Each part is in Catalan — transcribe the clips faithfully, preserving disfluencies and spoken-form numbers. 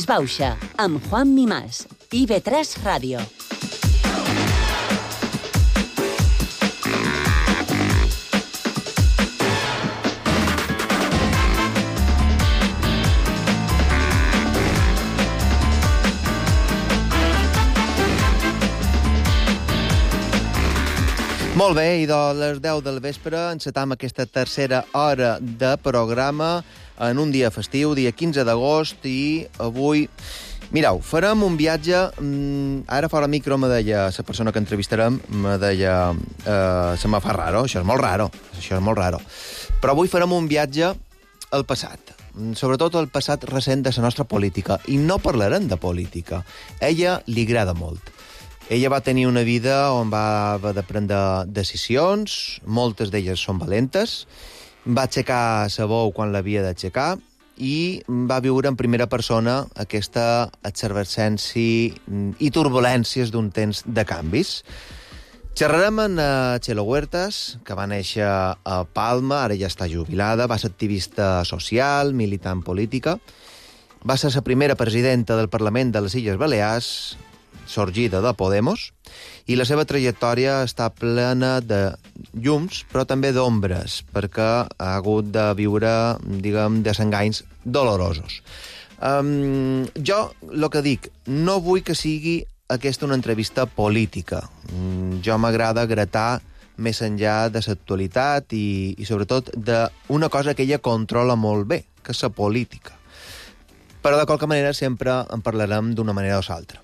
Disbauxa, amb Juan Mimás, I V tres Ràdio. Molt bé, i de les deu del vespre encetam aquesta tercera hora de programa en un dia festiu, dia quinze d'agost, i avui, mireu, farem un viatge. Ara fora micro me deia, la persona que entrevistarem, me deia, eh, se me fa raro, això és molt raro, això és molt raro. Però avui farem un viatge al passat, sobretot al passat recent de la nostra política, i no parlarem de política. A ella li agrada molt. Ella va tenir una vida on va haver de prendre decisions, moltes d'elles són valentes, va aixecar la veu quan l'havia d'aixecar i va viure en primera persona aquesta exervescència i turbulències d'un temps de canvis. Xerrarem amb Txelo Huertas, que va néixer a Palma, ara ja està jubilada, va ser activista social, militant política, va ser la primera presidenta del Parlament de les Illes Balears, sorgida de Podemos, i la seva trajectòria està plena de llums, però també d'ombres, perquè ha hagut de viure, diguem, desenganys dolorosos. Um, jo, el que dic, no vull que sigui aquesta una entrevista política. Um, jo m'agrada gratar més enllà de l'actualitat i, i sobretot d'una cosa que ella controla molt bé, que és la política. Però de qualque manera sempre en parlarem d'una manera o l'altra.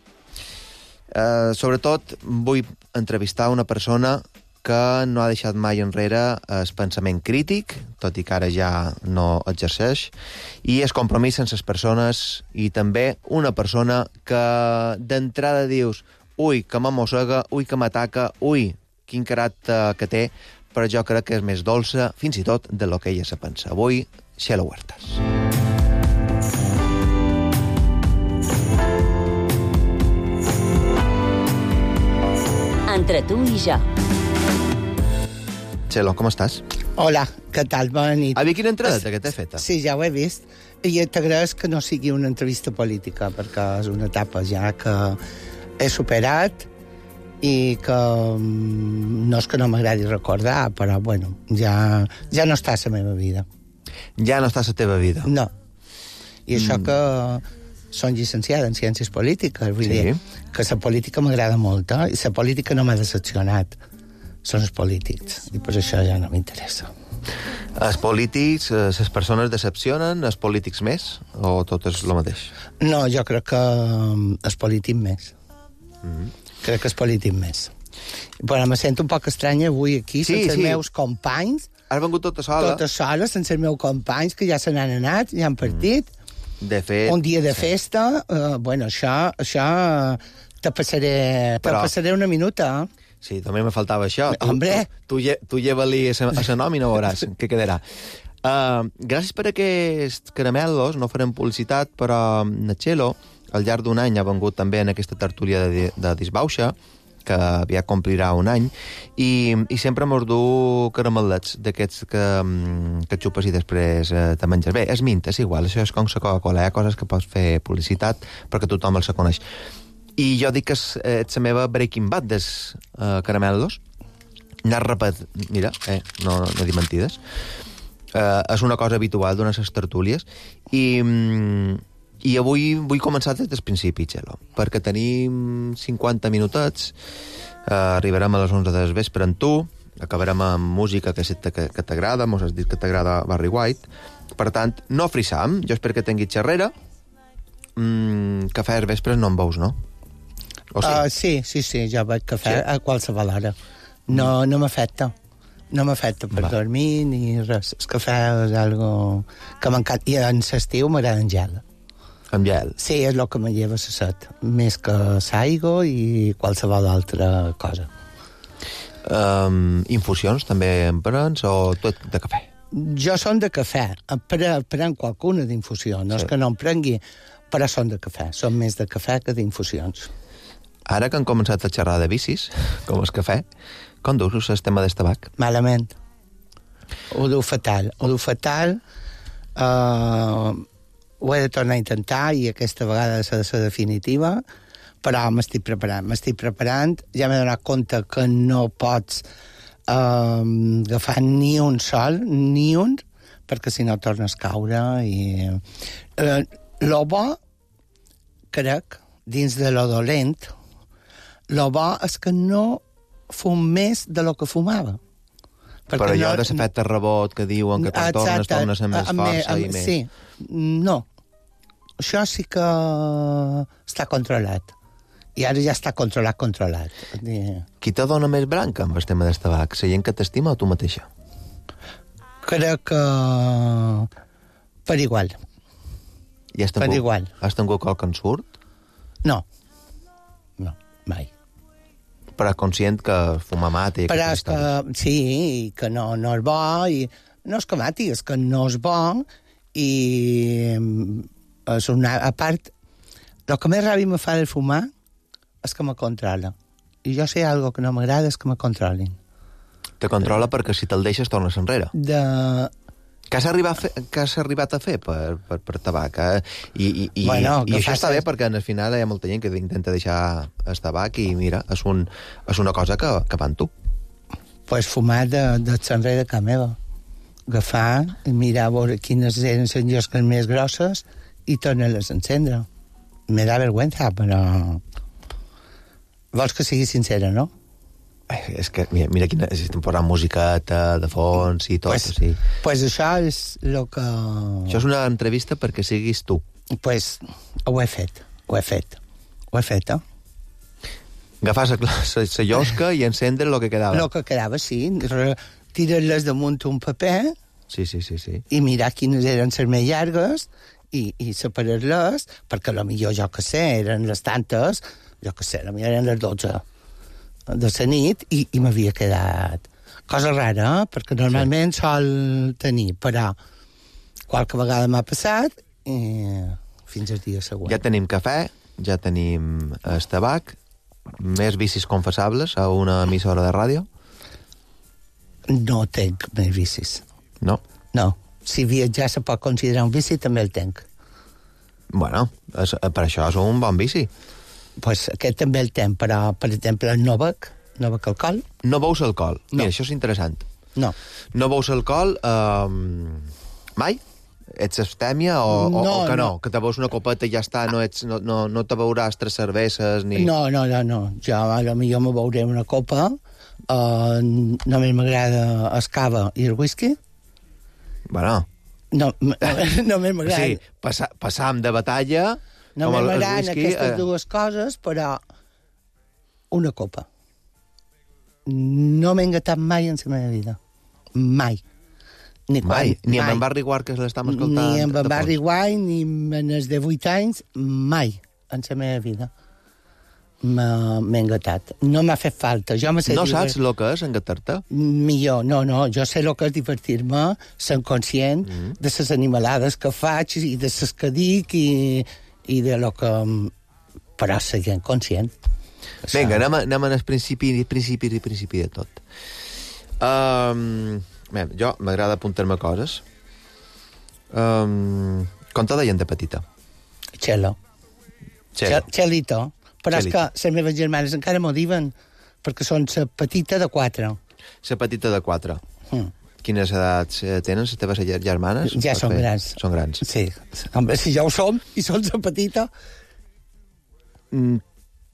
Uh, sobretot vull entrevistar una persona que no ha deixat mai enrere el pensament crític, tot i que ara ja no exerceix, i el compromís amb les persones, i també una persona que d'entrada dius ui, que m'amossega, ui, que m'ataca, ui, quin caràcter que té, però jo crec que és més dolça, fins i tot, de lo que ella se pensa. Avui, Txelo Huertas. Entre tu i jo. Txelo, com estàs? Hola, què tal? Bona nit. Havia quina entrada que t'he feta? Sí, ja ho he vist. I t'agraeix que no sigui una entrevista política, perquè és una etapa ja que he superat i que no és que no m'agradi recordar, però, bueno, ja, ja no està a la meva vida. Ja no està a la teva vida? No. I això mm. que són llicenciada en Ciències Polítiques, vull sí. dir que la política m'agrada molt, eh? I la política no m'ha decepcionat. Són els polítics, i per això ja no m'interessa. Els polítics, les persones decepcionen, els polítics més, o tot és el mateix? No, jo crec que els polítics més. Mm-hmm. Crec que els polítics més. Però me sento un poc estranya avui aquí, sí, sense sí. els meus companys. Has vengut tota sola? Tota sola, sense els meus companys, que ja se n'han anat, ja han partit. Mm. De fet... Un dia de sí. festa, uh, bueno, això, això te passaré, Però... te passaré una minuta, eh? Sí, també me faltava això. Hombre! Tu, tu, tu lleva-li a la nòmina, veuràs què quedarà. Uh, gràcies per aquests caramelos, no farem publicitat, però Txelo, al llarg d'un any, ha vengut també en aquesta tertúlia de, de Disbauxa, que aviat complirà un any, i, i sempre mos du caramelets d'aquests que, que xupes i després eh, te menges. Bé, és mint, és igual, això és com la Coca-Cola, hi ha coses que pots fer publicitat perquè tothom els coneix. I jo dic que és, és la meva Breaking Bad dels eh, caramelos. Anar repet... Mira, eh, no, no dic mentides. Eh, és una cosa habitual d'unes les tertúlies, i... I avui vull començar des del principi, Txelo, perquè tenim cinquanta minutets, eh, arribarem a les onze del vespre amb tu, acabarem amb música que, que, que t'agrada, mos has dit que t'agrada Barry White, per tant, no frisam, jo espero que tinguis xerrera, mm, cafè als vespres no en veus, no? O sí? Uh, sí, sí, sí, jo veig cafè sí? a qualsevol hora. No, no m'afecta. No m'afecta per Va. dormir ni res. El cafè és algo que m'encanta. I en l'estiu m'agrada en gel. Amb gel? Sí, és el que me lleva la set. Més que l'aigua i qualsevol altra cosa. Um, infusions també en prens o tot de cafè? Jo són de cafè. Prenc qualcuna d'infusió. No sí. és que no en prengui, però són de cafè. Són més de cafè que d'infusions. Ara que han començat a xerrar de bicis, com el cafè, com duus el tema del tabac? Malament. Ho du fatal. Ho du fatal. Uh, ho he de tornar a intentar i aquesta vegada ha de ser definitiva, però m'estic preparant, m'estic preparant. Ja m'he donat compte que no pots eh, agafar ni un sol, ni un, perquè si no tornes a caure. I... Eh, lo bo, crec, dins de lo dolent, lo bo és que no fum més de lo que fumava. Perquè però allò no... de l'efecte rebot que diuen que quan tornes, tornes amb més força i més... Sí, no. Això sí que està controlat. I ara ja està controlat, controlat. Qui te dona més branca amb el tema del tabac? La gent que t'estima o tu mateixa? Crec que per igual. I has tingut, per igual. Has tingut qualque ensurt? No. No, mai. Però conscient que fumar mata i però és que, sí, que no, no és bo, i no és que mati, és que no és bo, i és una, a part, el que més ràbia me fa de fumar és que me controla. I jo sé algo que no m'agrada, és que me controlin. Te controla perquè si te'l deixes tornes enrere. De... Què has arribat a fer, què has arribat a fer per, per, per tabac? Eh? I, i, i, bueno, i això està bé perquè al final hi ha molta gent que intenta deixar el tabac i mira, és, un, és una cosa que, que va amb tu. Pues fumar de, de l'enrere de casa meva. Agafar, mirar a veure quines eren les llosques més grosses i tornar-les a encendre. Me da vergüenza, però... Vols que sigui sincera, no? És que, mira, mira quina... Estem posant musiqueta de fons i tot, pues, o sigui... Pues això és el que... Això és una entrevista perquè siguis tu. Pues ho he fet, ho he fet. Ho he fet, eh? Agafar la llosca i encendre el que quedava. El que quedava, sí. Tirar-les damunt un paper... Sí, sí, sí, sí. I mirar quines eren les més llargues i, i separar-les, perquè potser jo que sé, eren les tantes, jo que sé, potser eren les dotze de la nit, i, i m'havia quedat cosa rara, eh? Perquè normalment sí. Sol tenir, però qualque vegada m'ha passat i fins al dia següent. Ja tenim cafè, ja tenim el tabac, més vicis confessables a una emissora de ràdio? No tenc més vicis. No? No. Si viatjar se pot considerar un vici, també el tenc. Bueno, és, per això és un bon vici. Pues aquest també el tenc, però, per exemple, no bec, no bec alcohol. No beus alcohol. No. Mira, això és interessant. No. No beus alcohol eh, mai? Ets abstèmia o, no, o, o que no? no? Que te beus una copeta i ja està, no, ets, no, no, no te beuràs tres cerveses ni... No, no, no, no. Jo a lo millor me beuré una copa, eh, només m'agrada el cava i el whisky. Bueno... No, només m'agrada... Sí, passa, passam de batalla... No m'agraden aquestes eh... dues coses, però una copa. No m'he engatat mai en la meva vida. Mai. Ni mai? Quan, ni mai. amb en Barry White, que l'estem escoltant? Ni amb en Barry White, ni en els de vuit anys, mai en la meva vida. M'he engatat. No m'ha fet falta. Jo no saps el que és engatar-te? Millor, no, no. Jo sé el que és divertir-me, sent conscient mm. de les animalades que faig i de les que dic i, i de lo que... Però seguint conscient. Vinga, anem, anem al principi, principi, principi de tot. Um, bé, jo m'agrada apuntar-me coses. Um, com te deien de petita? Xelo. Xelo. Xelito. Però és que les meves germanes encara m'ho diuen, perquè són la petita de quatre. La petita de quatre. Mm. Quines edats tenen les teves germanes? Ja són fer? grans. Són grans. Sí. Home, si ja ho som i són la petita... Mm,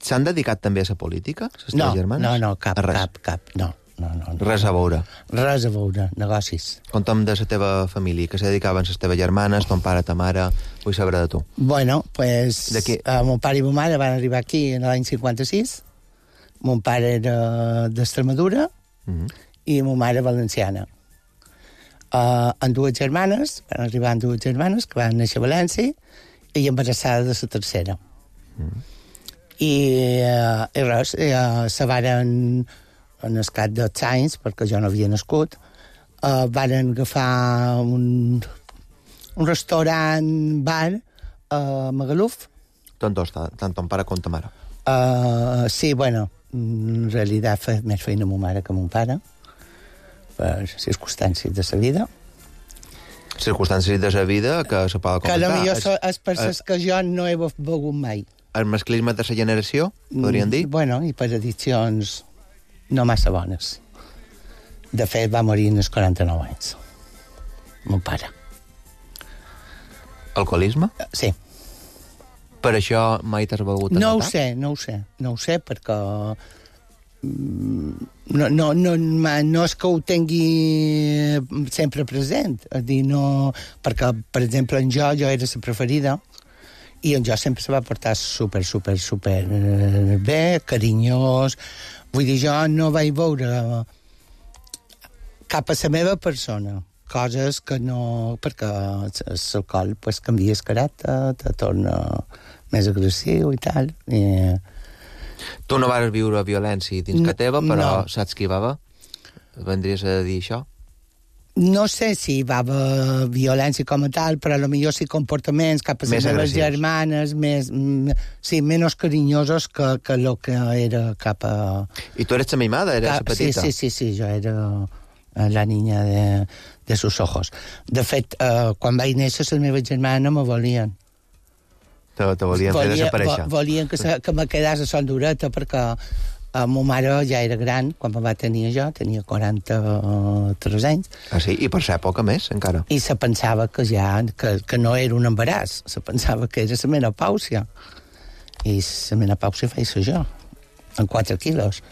s'han dedicat també a la política, les teves no, germanes? No, no, cap, cap, cap, no. No, no, no. Res a veure. Res a veure, negocis. Conta'm de la teva família, que se dedicaven les teves germanes, ton pare, ta mare, vull saber de tu. Bueno, pues, uh, mon pare i mon mare van arribar aquí en l'any cinquanta-sis. Mon pare era d'Extremadura mm-hmm. i mon mare valenciana. Uh, en dues germanes, van arribar en dues germanes, que van néixer a València, i embarassada de la tercera. Mm-hmm. I, uh, i res, uh, se varen... en el cap dels anys, perquè jo no havia nascut, uh, van agafar un, un restaurant, bar, a Magaluf. Tant dos, tant ton pare com ta mare. Uh, sí, bueno, en realitat fa més feina ma mare que mon pare, per circumstàncies de la vida. circumstàncies de la vida que se poden comentar. Que potser so, és per les que jo no he begut mai. El masclisme de la generació, podríem dir? Mm, bueno, i per addiccions no massa bones. De fet, va morir als quaranta-nou anys. Mon pare. Alcoholisme? Sí. Per això mai t'has begut a No ho matar? sé, no ho sé. No ho sé, perquè... No, no, no, no és que ho tingui sempre present. És dir, no... Perquè, per exemple, en jo, jo era la preferida, i en jo sempre se va portar super, super, super bé, carinyós. Vull dir, jo no vaig veure cap a la meva persona coses que no... Perquè l'alcohol pues, canvia el caràcter, te torna més agressiu i tal. I... Tu no vas viure violència dins No, que teva, però no. saps qui va haver? Vendries a dir això? No sé si va haver violència com a tal, però potser sí comportaments cap a les Més meves agressius. germanes, més, mm, sí, menys carinyosos que, que el que era cap a... I tu eres la mimada, eres la cap, sí, petita? sí, sí, sí, jo era la niña de, de sus ojos. De fet, eh, quan vaig néixer, les meves germanes me volien. Te, te volien fer desaparèixer. vo- volien que, se, que me quedés a son dureta, perquè eh, ma mare ja era gran, quan me va tenir jo, tenia quaranta-tres anys, Ah, sí? I per ser poca més, encara. i se pensava que ja que, que no era un embaràs, se pensava que era la menopàusia. I la menopàusia feia jo, en quatre quilos.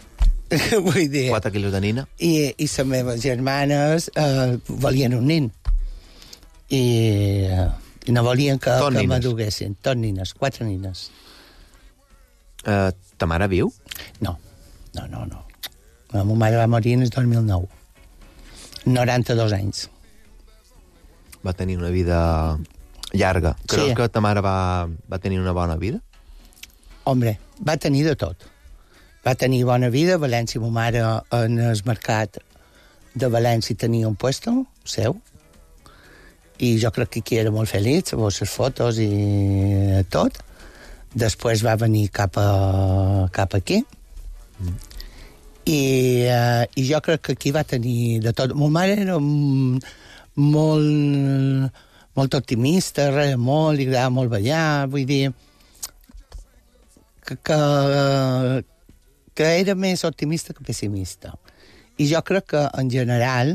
Vull dir... Quatre quilos de nina. I, i les meves germanes eh, volien un nin. I, eh, i no volien que, Tot que nines. m'aduguessin. Tot nines, quatre nines. Uh, ta mare viu? No, no, no, no. La meva mare va morir en el dos mil nou. noranta-dos anys. Va tenir una vida llarga. Creus Sí. que ta mare va, va tenir una bona vida? Hombre, va tenir de tot. Va tenir bona vida. A València, ma mare, en el mercat de València tenia un puesto seu. I jo crec que aquí era molt feliç, amb les fotos i tot. Després va venir cap, a, cap aquí. Mm. I, uh, I jo crec que aquí va tenir de tot. Ma mare era mm, molt, molt optimista, reia molt, li agradava molt ballar, vull dir... Que, que, que era més optimista que pessimista. I jo crec que, en general,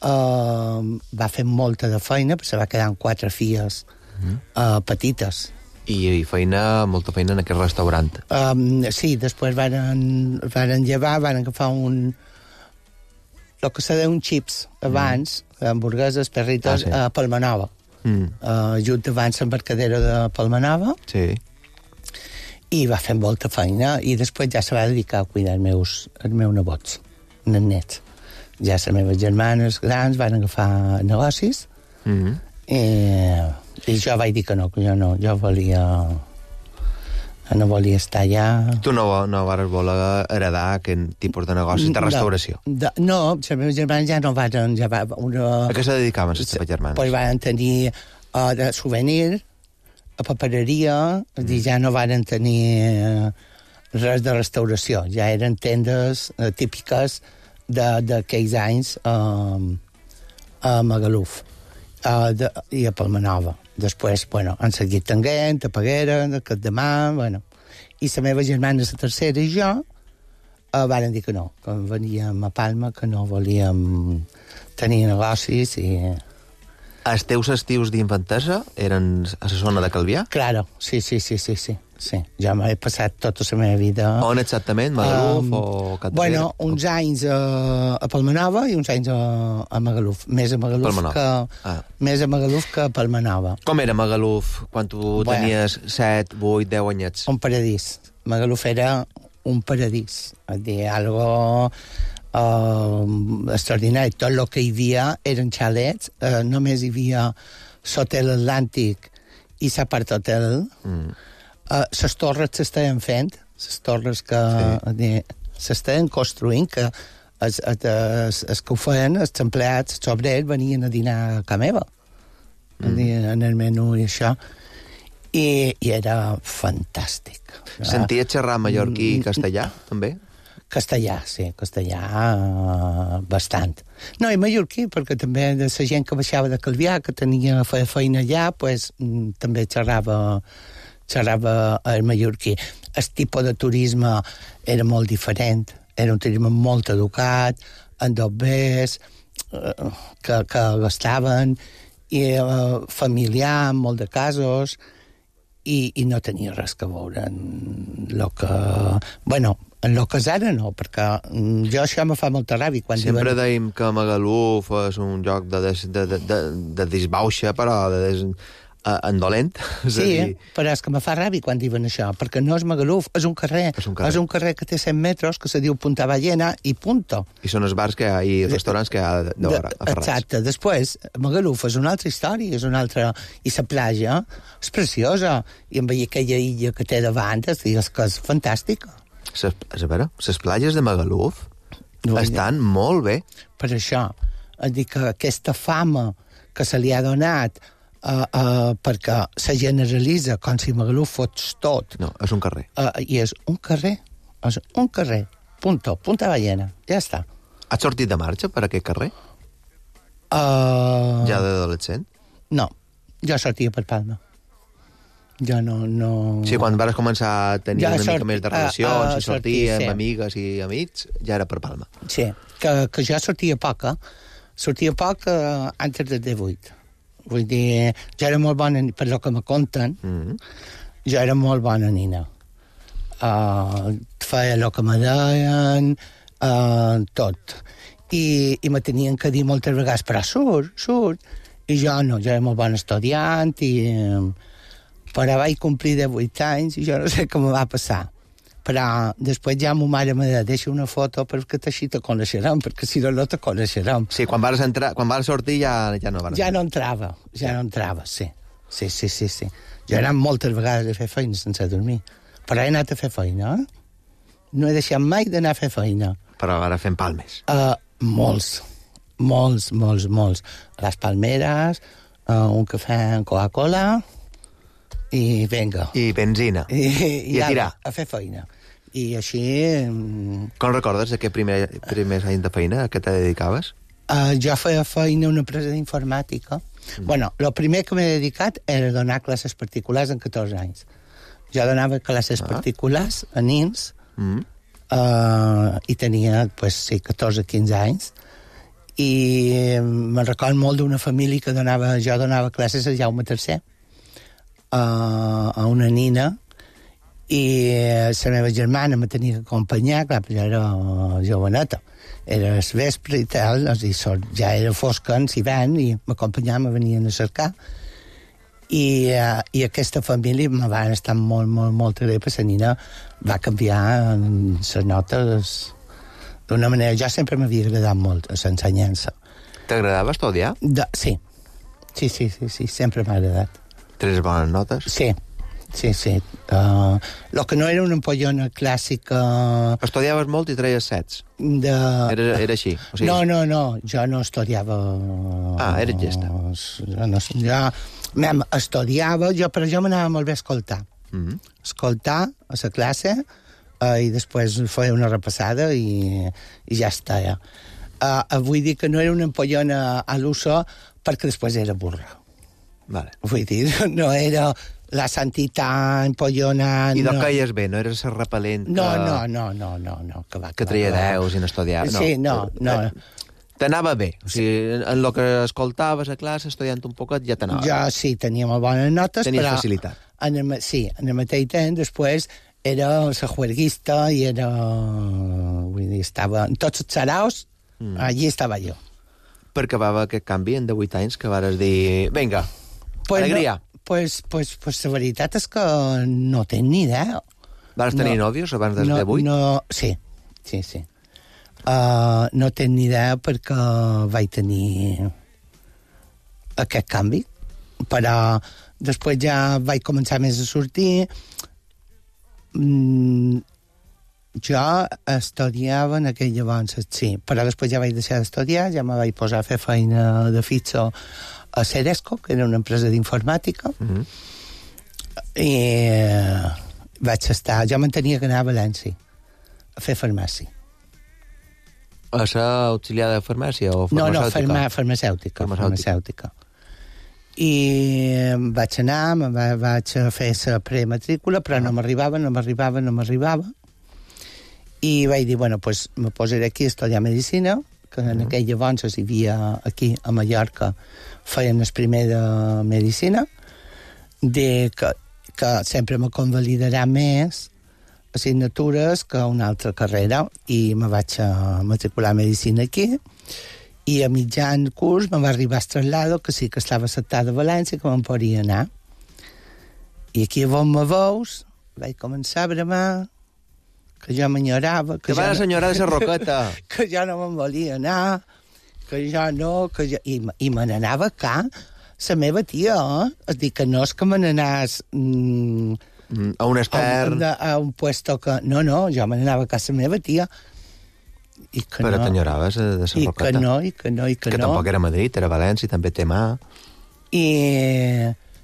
eh, va fer molta de feina, perquè se va quedar amb quatre filles mm. eh, petites. I, I feina, molta feina en aquest restaurant. Um, sí, després varen, varen llevar, varen agafar un... el que se deia un chips abans, mm. hamburgueses, perritos, Ah, sí. a Palmanova. Mm. Uh, just abans l'embarcadera de Palmanova. Sí. I va fer molta feina, i després ja se va dedicar a cuidar els meus, els meus nebots, els nets. Ja les meves germanes grans van agafar negocis, Mm -hmm. i, i jo vaig dir que no, que jo no, jo volia... no volia estar allà... Tu no, no vas voler heredar aquest tipus de negocis de restauració? No, de, no, les meves germanes ja no van... Ja va, una, A què se dedicaven les teves germanes? Pues van tenir uh, de souvenir, a papereria, és dir, ja no van tenir uh, res de restauració, ja eren tendes uh, típiques d'aquells anys uh, a Magaluf uh, de, i a Palmanova. Després, bueno, han seguit Tenguent, a Peguera, a Capdemà, bueno. I la meva germana, la tercera, i jo, uh, van dir que no, que veníem a Palma, que no volíem tenir negocis i... Els teus estius d'infantesa eren a la zona de Calvià? Claro, sí, sí, sí, sí, sí. sí. Jo m'he passat tota la meva vida... On exactament? Magaluf Um, o Catdevera? Bueno, uns anys a, a Palmanova i uns anys a, a Magaluf. Més a Magaluf, Palmanova. que, Ah. més a Magaluf que a Palmanova. Com era Magaluf quan tu Bueno. tenies set, vuit, deu anyets? Un paradís. Magaluf era un paradís. És dir, algo uh, extraordinari. Tot el que hi havia eren xalets. Uh, només hi havia l'hotel Atlàntic i l'apart hotel. Mm. Uh, les torres s'estaven fent, les torres que sí. s'estaven construint, que els, els, els, els que ho feien, els empleats, els obrers, venien a dinar a casa meva, mm. en el menú i això, i, i era fantàstic. Senties xerrar mallorquí i castellà, també? Castellà, sí, castellà uh, bastant. No, i mallorquí, perquè també de la gent que baixava de Calvià, que tenia feia feina allà, pues, mm, també xerrava, xerrava el mallorquí. El tipus de turisme era molt diferent, era un turisme molt educat, en dobbers, uh, que, que gastaven, i uh, familiar, en molt de casos, i, i no tenia res que veure en el que... Bueno, en el que és ara no, perquè jo això me fa molta ràbia. Quan Sempre diuen... deim que Magaluf és un lloc de, des, de, de, de, de disbauxa, però de des, uh, en dolent. Sí, dir... però és que me fa ràbia quan diuen això, perquè no és Magaluf, és un carrer. És un carrer, és un carrer que té cent metres, que se diu Punta Ballena, i punto. I són els bars que hi ha, i els restaurants que hi ha de, de, de, a Ferraz. Exacte. Després, Magaluf és una altra història, és una altra... I la platja és preciosa, i amb aquella illa que té davant, és, és que és fantàstica. Ses, a veure, les platges de Magaluf no, estan ja. molt bé. Per això, és dir que aquesta fama que se li ha donat uh, uh, perquè se generalitza com si Magaluf fos tot. No, és un carrer. Uh, I és un carrer, és un carrer, punto, Punta Ballena, ja està. Has sortit de marxa per aquest carrer? Uh... Ja d'adolescent? No, jo sortia per Palma. Jo no... no... Sí, quan vas començar a tenir ja una sort... mica més de relacions, uh, uh, i sortir amb sí. amigues i amics, ja era per Palma. Sí, que, que jo sortia poc, eh? Sortia poc uh, antes del divuit. Vull dir, jo era molt bona, per lo que me conten, mm -hmm. jo era molt bona nina. Uh, feia el que me deien, uh, tot. I, i me tenien que dir moltes vegades, però surt, surt. I jo no, jo era molt bon estudiant i... Uh, però vaig complir de vuit anys i jo no sé què me va passar. Però després ja ma mare me deia, deixa una foto perquè així te coneixerem, perquè si no, no te coneixerem. Sí, quan vas, entrar, quan vas sortir ja, ja no vas... Ja no entrava, ja no entrava, sí. Sí, sí, sí, sí. Jo he anat moltes vegades a fer feina sense dormir. Però he anat a fer feina, eh? No he deixat mai d'anar a fer feina. Però ara fem palmes. Uh, molts, molts, molts, molts. A les Palmeres, uh, un cafè amb Coca-Cola... I venga. I benzina. I, i, I a tirar. A fer feina. I així... Com recordes aquest primer, primers anys de feina a què te dedicaves? Uh, jo feia feina a una empresa d'informàtica. Mm. Bueno, el primer que m'he dedicat era donar classes particulars en catorze anys. Jo donava classes ah. particulars a nins mm. uh, i tenia, pues, sí, catorze quinze anys. I me'n recordo molt d'una família que donava... Jo donava classes a Jaume tercer. Uh, a una nina i la meva germana me tenia que acompanyar, clar, però ja era joveneta, era el vespre i tal, és dir, ja era fosca en l'hivern i m'acompanyava, me venien a cercar i, uh, i aquesta família me va estar molt, molt, molt greu, perquè la nina va canviar les notes d'una manera. Jo sempre m'havia agradat molt l'ensenyança. T'agradava estudiar? De, sí. sí, sí, sí, sí, sempre m'ha agradat. Tres bones notes? Sí, sí, sí. Uh, lo que no era una empollona clàssica... Estudiaves molt i treies sets? De... Era, era així? O sigui... No, no, no, jo no estudiava... Ah, eres llesta. Jo, no, jo mem, estudiava, jo, però jo m'anava molt bé a escoltar. Mm -hmm. Escoltar a la classe uh, i després feia una repassada i, i ja està, ja. Uh, vull dir que no era una empollona a l'uso perquè després era burra. Vale. Vull dir, no era la santitat, empollona... I d'on no. caies bé, no eres el repel·lent que... No, no, no, no, no, no, que va... Que treia deus i no estudiava... No. Sí, no, no. T'anava bé, o sigui, en el que escoltaves a classe, estudiant un poquet, ja t'anava bé. Jo sí, tenia molt bones notes, Tenies però... facilitat. En el, sí, en el mateix temps, després, era la juerguista i era... Vull dir, estava... En tots els saraus, mm. allí estava jo. Per què va haver aquest canvi en divuit anys que vares dir... Vinga, pues alegria. No, pues, pues, pues la veritat és que no tenc ni idea. Vas tenir no, nòvios abans dels no, divuit? No, sí, sí, sí. Uh, no tenc ni idea perquè vaig tenir aquest canvi. Però després ja vaig començar més a sortir. Mm, jo estudiava en aquell llavors, sí, però després ja vaig deixar d'estudiar, ja me vaig posar a fer feina de fitxo a Ceresco, que era una empresa d'informàtica, mm-hmm. i eh, vaig estar... Jo m'entenia que anava a València a fer farmàcia. A ser auxiliar de farmàcia o No, no, farmacèutica? farma, farmacèutica, Farmacèutica. farmacèutica. I vaig anar, me va, vaig a fer la prematrícula, però no m'arribava, no m'arribava, no m'arribava. I vaig dir, bueno, pues me posaré aquí a estudiar medicina, que en Uh-huh. aquell llavors hi havia aquí, a Mallorca, feien el primer de medicina, de que, que sempre me convalidarà més assignatures que una altra carrera, i me vaig a matricular a medicina aquí, i a mitjan curs me va arribar el traslado que sí que estava acceptada a València, que me'n podria anar. I aquí on me veus, vaig començar a bramar, que jo m'enyorava, que, Que va la jo senyora de la Roqueta. no, que jo no me'n volia anar, que jo no, que jo... I, i me n'anava acá, la meva tia, eh? És dir, que no és que me n'anàs... Mm, Mm, A un expert... a, a un puesto que... No, no, jo me n'anava a casa meva tia. I que Però no, t'enyoraves de la I Roqueta. que no, i que no, i que, Que no. tampoc era Madrid, era València, també té mà. I,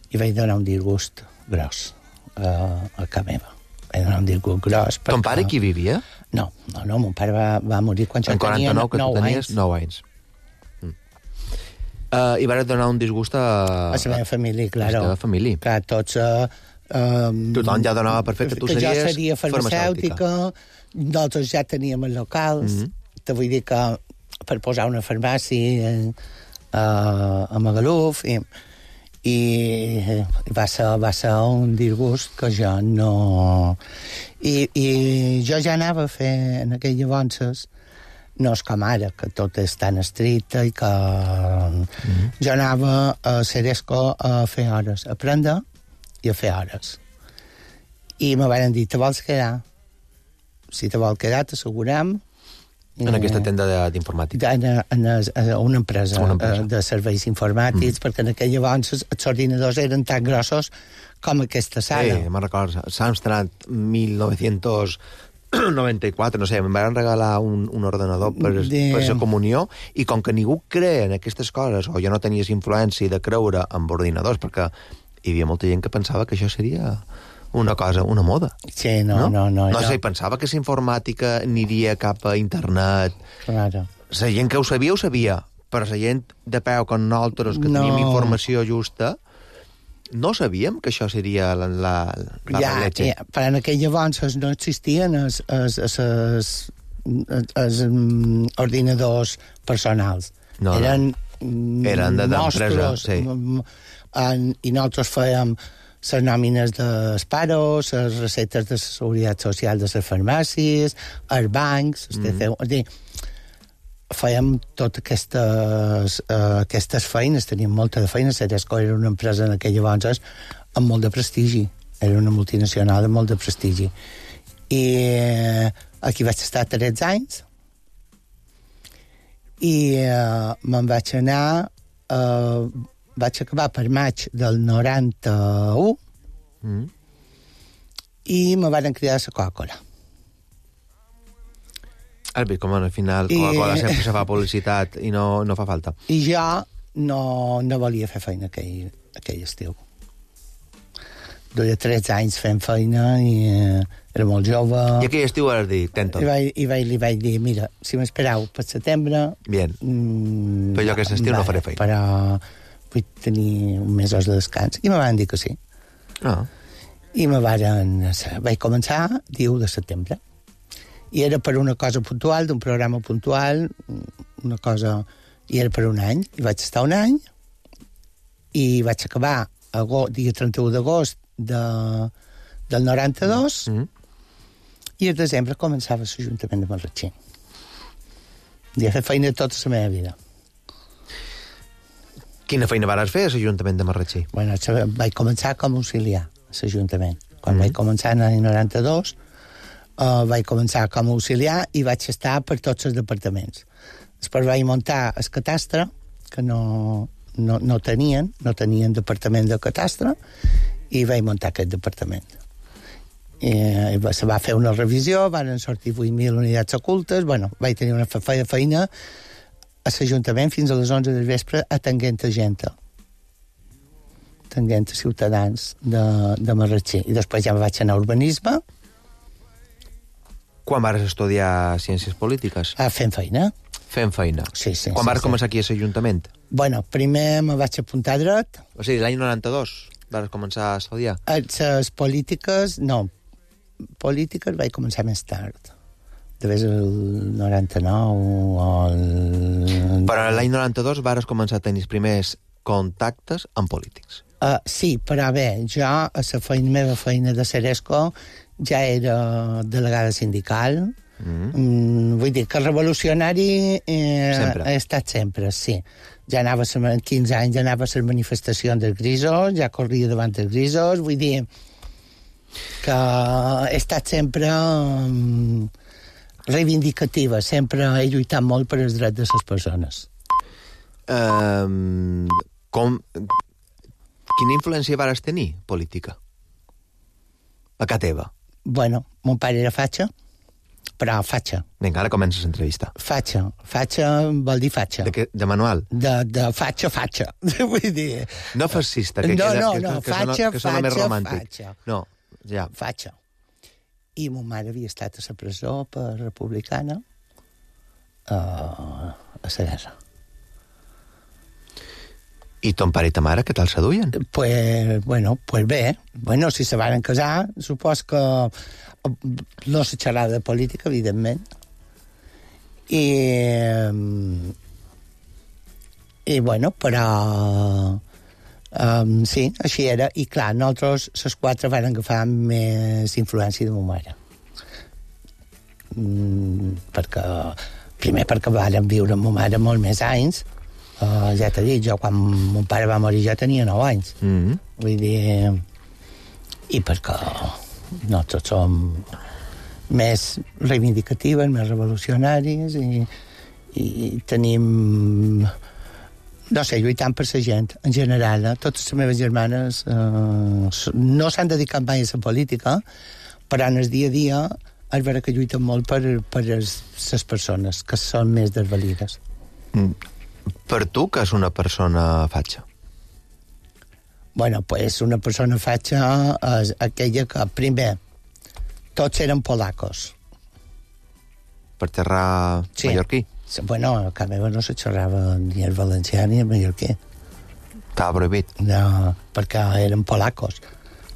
i vaig donar un disgust gros a, a casa meva. Vaig donar un disgust gros. Perquè... Ton pare qui vivia? No, no, no, mon pare va, va morir quan jo En tenia quaranta-nou, que tu nou tenies anys. nou anys. Mm. Uh, I vas donar un disgust a... A la meva família, A claro. la teva família. Clar, tots... Uh, um, Tothom ja donava per fet que tu que series jo seria farmacèutica, nosaltres ja teníem els locals, Mhm. te vull dir que per posar una farmàcia eh, a Magaluf, i, i va ser, va ser un disgust que jo no... I, i jo ja anava a fer en aquell llavors, no és com ara, que tot és tan estricte i que... Mm-hmm. Jo anava a Ceresco a fer hores, a aprendre i a fer hores. I me van dir, te vols quedar? Si te vol quedar, t'assegurem... En aquesta tenda d'informàtica. En, en, en una empresa, una empresa. de serveis informàtics, mm. perquè en aquell llavors els ordinadors eren tan grossos com aquesta sala. Sí, me'n recordo. Samstrad mil nou-cents noranta-quatre, no sé, em van regalar un, un ordenador per, De... per la comunió, i com que ningú creia en aquestes coses, o jo no tenies influència de creure en ordinadors, perquè hi havia molta gent que pensava que això seria una cosa, una moda. Sí, no, no, no. No, no sé, pensava que la informàtica aniria cap a internet. Claro. La gent que ho sabia, ho sabia, però la gent de peu com nosaltres, que No. teníem informació justa, no sabíem que això seria la, la, la Ja, leche. ja, però en aquell llavors no existien els, els, els, els, els mm, ordinadors personals. No, no. Eren, mm, Eren de- d'empresa, nostres, sí. mm, en, i nosaltres fèiem les nòmines dels paros, les recetes de la seguretat social de les farmàcies, els bancs, els T C U... És a dir, fèiem totes aquestes, uh, aquestes feines, teníem molta de feina. Ceresco era una empresa en aquell llavors amb molt de prestigi. Era una multinacional amb molt de prestigi. I eh, aquí vaig estar tretze anys i uh, me'n vaig anar... Uh, vaig acabar per maig del noranta-u Mm. i me van cridar a la Coca-Cola. Has vist com al final I- Coca-Cola sempre se fa publicitat i no, no fa falta. I jo no, no volia fer feina aquell, aquell estiu. Duia tretze anys fent feina i eh, era molt jove. I aquell estiu has dit, tento. I, vaig, i vaig, li vaig dir, mira, si m'esperau per setembre... Bien. Mm, Però jo aquest estiu no faré feina. Però vull tenir un mesos de descans. I me van dir que sí. Ah. I me varen... Vaig començar dia u de setembre. I era per una cosa puntual, d'un programa puntual, una cosa... I era per un any. I vaig estar un any i vaig acabar agost, dia trenta-u d'agost de, del noranta-dos Mm. i el desembre començava l'Ajuntament de Marratxí. I he fet feina tota la meva vida. Quina feina vares fer a l'Ajuntament de Marratxí? Bueno, vaig començar com a auxiliar a l'Ajuntament. Quan Mm. vaig començar en l'any noranta-dos, uh, vaig començar com a auxiliar i vaig estar per tots els departaments. Després vaig muntar el catastre, que no, no, no tenien, no tenien departament de catastre, i vaig muntar aquest departament. I, i se va fer una revisió, van sortir vuit mil unitats ocultes, bueno, vaig tenir una feina, feina a l'Ajuntament fins a les onze del vespre atenguent a gent, atenguent a ciutadans de, de Marratxí. I després ja vaig anar a urbanisme, Quan vares estudiar ciències polítiques? a fent feina. fent feina. Sí, sí. Quan sí, vas sí. començar aquí a l'Ajuntament? Bueno, primer me vaig apuntar a dret. O sigui, l'any noranta-dos vas començar a estudiar? Les polítiques, no. Polítiques vaig començar més tard. Devés el noranta-nou o el... Però l'any noranta-dos vas començar a tenir els primers contactes amb polítics. Uh, sí, però bé, jo a la feina, meva feina de Ceresco ja era delegada sindical. Mm-hmm. Mm, vull dir que revolucionari eh, he estat sempre, sí. Ja anava a quinze anys, ja anava a les manifestacions dels grisos, ja corria davant dels grisos, vull dir que he estat sempre um, reivindicativa, sempre he lluitat molt per els drets de les persones. Um, com... Quina influència vas tenir, política? A casa teva? Bueno, mon pare era fatxa, però fatxa. Vinga, ara comences l'entrevista. Fatxa. Fatxa vol dir fatxa. De, que, de manual? De, de fatxa, fatxa. Vull dir... No fascista, que, no, queda, no, que, no, que, que, fatxa, sona, que sona fatxa, més romàntic. fatxa. No, ja. Fatxa. I mon mare havia estat a la presó per republicana uh, a la guerra. I ton pare i ta mare, què tal se duien? Pues, bueno, pues bé. Bueno, si se van casar, supos que no se xerrava de política, evidentment. I, i bueno, però um, sí, així era. I clar, nosaltres, les quatre, van agafar més influència de ma mare. Mm, perquè, primer perquè varen viure amb ma mare molt més anys. Uh, ja t'he dit, jo quan mon pare va morir jo tenia nou anys. Mm-hmm. Vull dir... I perquè nosaltres som més reivindicatives, més revolucionaris i, i tenim... No sé, lluitant per la gent, en general. Eh? Totes les meves germanes uh, no s'han dedicat mai a la política, però en el dia a dia és vera que lluiten molt per, per les persones que són més desvalides. Mm. Per tu, que és una persona fatxa? Bueno, pues una persona fatxa és aquella que, primer, tots eren polacos. Per terra sí. Mallorquí? Bueno, a casa meva no se xerrava ni el valencià ni el mallorquí. Estava prohibit? No, perquè eren polacos.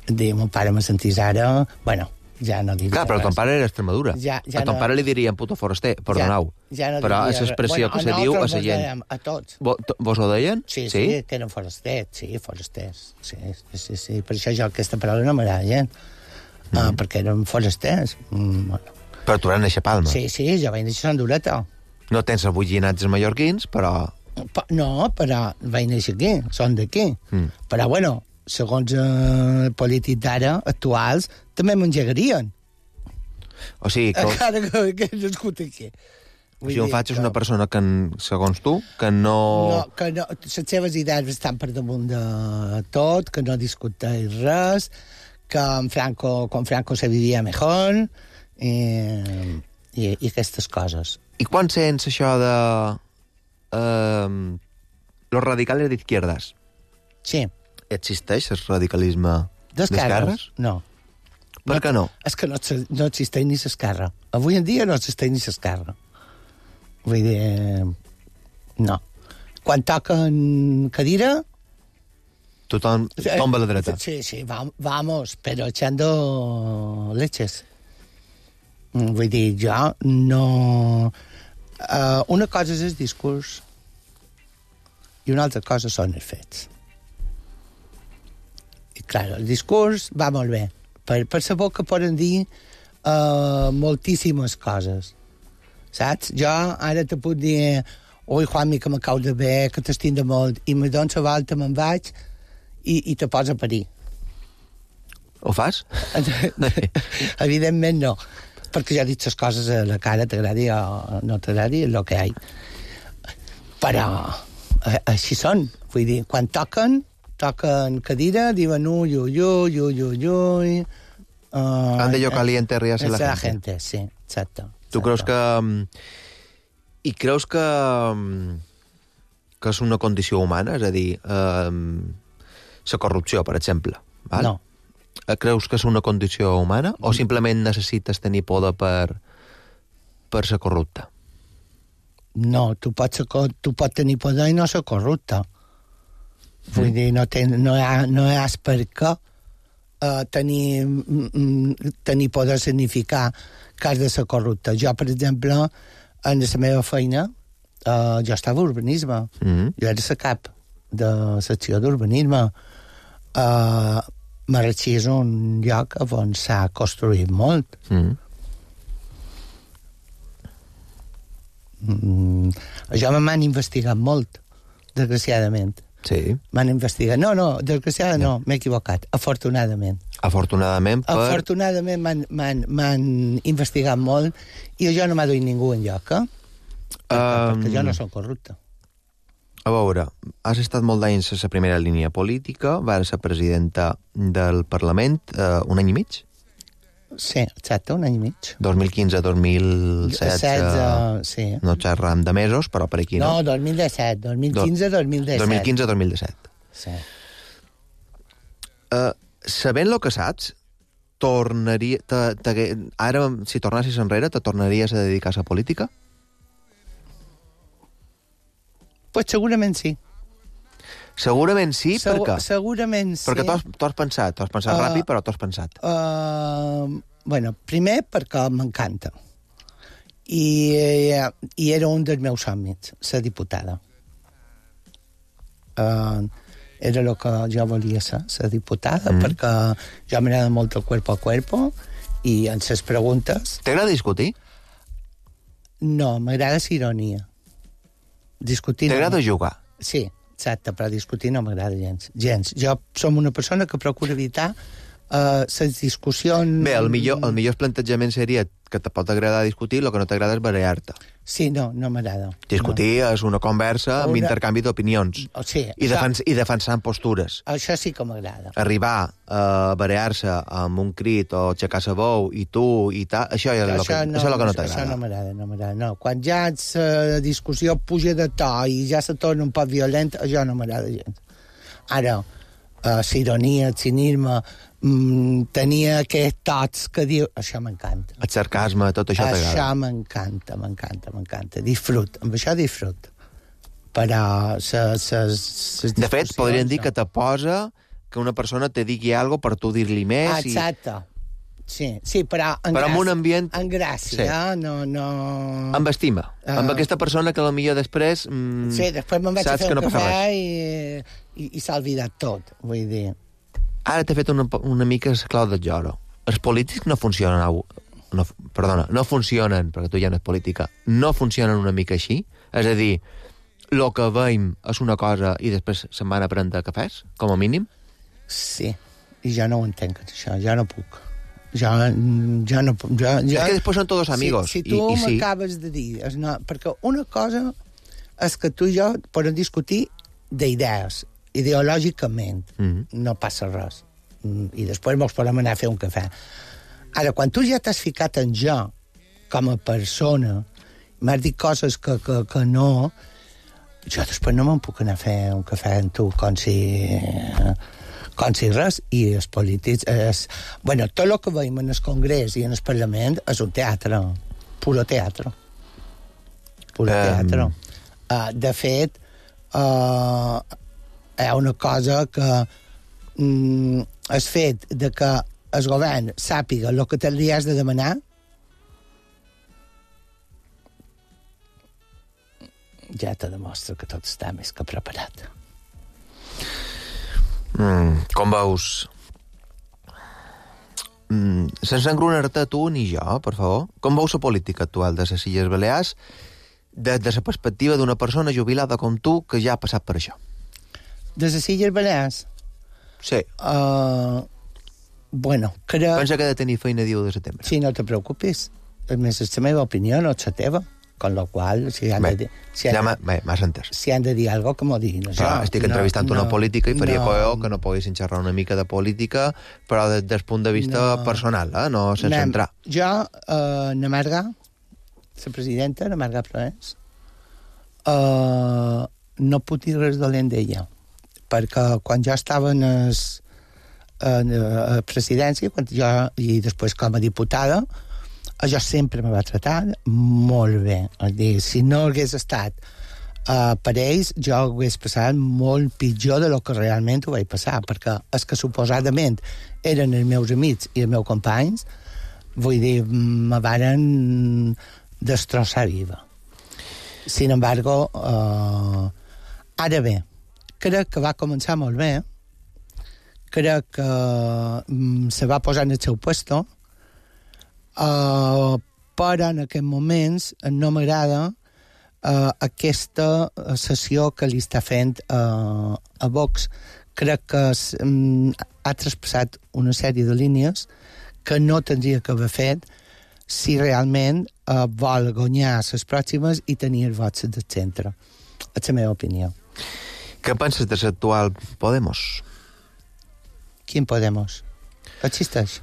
Diu, mon pare me sentís ara... Bueno, ja no diria clar, però ton pare era Extremadura. Ja, ja a ton no... pare li dirien puto foraster, perdoneu. Ja, ja no però diria... és l'expressió bueno, que se diu a la gent. A tots. Vos, vos ho deien? Sí, sí, sí, que eren forasters, sí, forasters. Sí, sí, sí, sí. Per això jo aquesta paraula no m'agrada gent. Mm. Uh, perquè eren forasters. Mm, bueno. Però tu vas néixer a Palma. Sí, sí, jo vaig néixer a Hondureta. No tens avui llinats mallorquins, però... No, però vaig néixer aquí, són d'aquí. Mm. Però, bueno, segons eh, polítics d'ara, actuals, també m'engegarien. O sigui que... Encara que, que he nascut aquí. O sigui, un faig és una persona que, segons tu, que no... No, que no, les seves idees estan per damunt de tot, que no discuteix res, que en Franco, con Franco se vivia mejor, i, i, i aquestes coses. I quan sents això de... Uh, los radicales d'izquierdas? Sí. Existeix el radicalisme d'esquerres? No. Per què no? És que no, no existeix ni l'esquerra. Avui en dia no existeix ni l'esquerra. Vull dir... No. Quan toquen cadira... Tothom tomba a la dreta. Sí, sí, vamos, però echando leches. Vull dir, jo no... Uh, una cosa és el discurs i una altra cosa són els fets. I, clar, el discurs va molt bé. Per, per la boca poden dir uh, moltíssimes coses. Saps? Jo ara te puc dir ui, Juanmi, que m'acau de bé, que t'estim de molt, i me dono la volta, me'n vaig i, i te posa a parir. Ho fas? Evidentment no. Perquè ja he dit les coses a la cara, t'agradi o no t'agradi, el que hi ha. Però així són. Vull dir, quan toquen, toquen cadira, diuen ui, ui, ui, ui, ui, ui... Uh, Han de yo caliente ríase la, la gente. gente. Sí, exacte. Tu creus que... I creus que... que és una condició humana? És a dir, eh, la corrupció, per exemple. Val? No. Creus que és una condició humana o simplement necessites tenir poder per, per ser corrupte? No, tu pots, ser, tu pots tenir poder i no ser corrupte. Vull mm. dir, no, ten, no, hi ha, no hi ha per què uh, tenir, mm, tenir poder significar que has de ser corrupte. Jo, per exemple, en la meva feina, uh, jo estava a urbanisme. Mm. Jo era la cap de secció d'urbanisme. Uh, Marratxí és un lloc on s'ha construït molt. Mm. Mm, això m'han investigat molt, desgraciadament. Sí. M'han investigat. No, no, desgraciadament no, no m'he equivocat. Afortunadament. Afortunadament per... Afortunadament m'han investigat molt i jo no m'ha duit ningú enlloc, eh? Perquè, um... perquè jo no soc corrupte. A veure, has estat molt d'anys a la primera línia política, vas ser presidenta del Parlament eh, un any i mig? Sí, exacte, un any i mig. dos mil quinze a dos mil setze, sí. No xerram de mesos, però per aquí no. No, dos mil disset, dos mil quinze a dos mil disset. dos mil quinze a dos mil disset. Sí. Uh, sabent el que saps, tornaria, te, te, ara, si tornessis enrere, te tornaries a dedicar a la política? Pues segurament sí. Segurament sí, Segu per què? Segurament sí. Perquè t'ho has pensat, t'ho has pensat uh, ràpid, però t'ho has pensat. Uh, bueno, primer perquè m'encanta. I, I era un dels meus somnis, ser diputada. Uh, era el que jo volia ser, ser diputada, mm. perquè jo m'agrada molt el cuerpo a cuerpo, i en les preguntes... T'agrada discutir? No, m'agrada la ironia. Discutir... T'agrada no... jugar? Sí, exacte, però discutir no m'agrada gens. gens. Jo som una persona que procura evitar uh, les discussions... Bé, el millor, el millor plantejament seria que te pot agradar discutir, el que no t'agrada és barallar-te. Sí, no, no m'agrada. Discutir no. és una conversa una... amb intercanvi d'opinions. Oh, sí, I, això... defens, I defensant postures. Això sí que m'agrada. Arribar a barallar-se amb un crit o aixecar la veu i tu i tal, això és el que, no, això és el que no t'agrada. Això no m'agrada, no m'agrada. No. Quan ja la discussió puja de to i ja se torna un poc violent, això no m'agrada gens. Ara, uh, la ironia, el cinisme, mm, tenia aquests tots que diu... Això m'encanta. El sarcasme, tot això t'agrada. Això m'encanta, m'encanta, m'encanta. Disfrut, amb això disfrut. Però... Ses, ses, ses de fet, podríem dir no. que te posa que una persona te digui alguna cosa per tu dir-li més. Ah, exacte. I... Sí, sí, però en però gràcia. En un ambient... En gràcia, sí. eh? No, no... Amb estima. Uh... Amb aquesta persona que potser després... Mm, sí, després me'n vaig a fer un no cafè i, i, i s'ha oblidat tot, vull dir... Ara t'he fet una, una mica la clau del lloro. Els polítics no funcionen... No, perdona, no funcionen, perquè tu ja no és política, no funcionen una mica així? És a dir, el que veiem és una cosa i després se'n van a prendre cafès, com a mínim? Sí, i jo no ho entenc, això, jo no puc. Jo, jo no puc. Jo, jo... És que després són tots amigos. Si, si tu i, i m'acabes sí. de dir... És no, perquè una cosa és que tu i jo podem discutir d'idees, ideològicament, mm-hmm. no passa res. I després mos podem anar a fer un cafè. Ara, quan tu ja t'has ficat en jo, com a persona, m'has dit coses que, que, que no, jo després no me'n puc anar a fer un cafè amb tu, com si... com si res, i els polítics... És, bueno, tot el que veiem en el Congrés i en el Parlament és un teatre, puro teatre. Puro um... teatre. Uh, de fet, uh, hi ha una cosa que mm, el fet de que el govern sàpiga el que te li has de demanar ja te demostra que tot està més que preparat. Mm, com veus? Mm, sense engrunar-te tu ni jo, per favor. Com veus la política actual de les Illes Balears des de la perspectiva d'una persona jubilada com tu que ja ha passat per això? De les Illes Balears? Sí. Uh, bueno, crec... Pensa que ha de tenir feina diu de setembre. Sí, no te preocupis. A més, és la meva opinió, no és la teva. Con lo qual, si han, bé, de, si, han, ja m'has entès. si han de dir alguna cosa, que m'ho diguin. Però jo, estic entrevistant no, una política i faria no, coeo que no poguessin xerrar una mica de política, però des del punt de vista no, personal, eh? No sense anem, entrar. Jo, eh, na Marga, la presidenta, na Marga Proens, eh, no puc dir res dolent d'ella, perquè quan jo estava en a presidència, quan jo, i després com a diputada, Jo sempre me va tratar molt bé. És dir, si no hagués estat uh, per ells, jo hagués passat molt pitjor de lo que realment ho vaig passar, perquè els que suposadament eren els meus amics i els meus companys, vull dir, me varen destrossar viva. Sin embargo, uh, ara bé, crec que va començar molt bé, crec que um, se va posar en el seu puesto, uh, però en aquests moments no m'agrada uh, aquesta sessió que li està fent uh, a Vox. Crec que um, ha traspassat una sèrie de línies que no tindria que haver fet si realment uh, vol guanyar les pròximes i tenir els vots del centre. És la meva opinió. Què penses de l'actual Podemos? Quin Podemos? Existeix?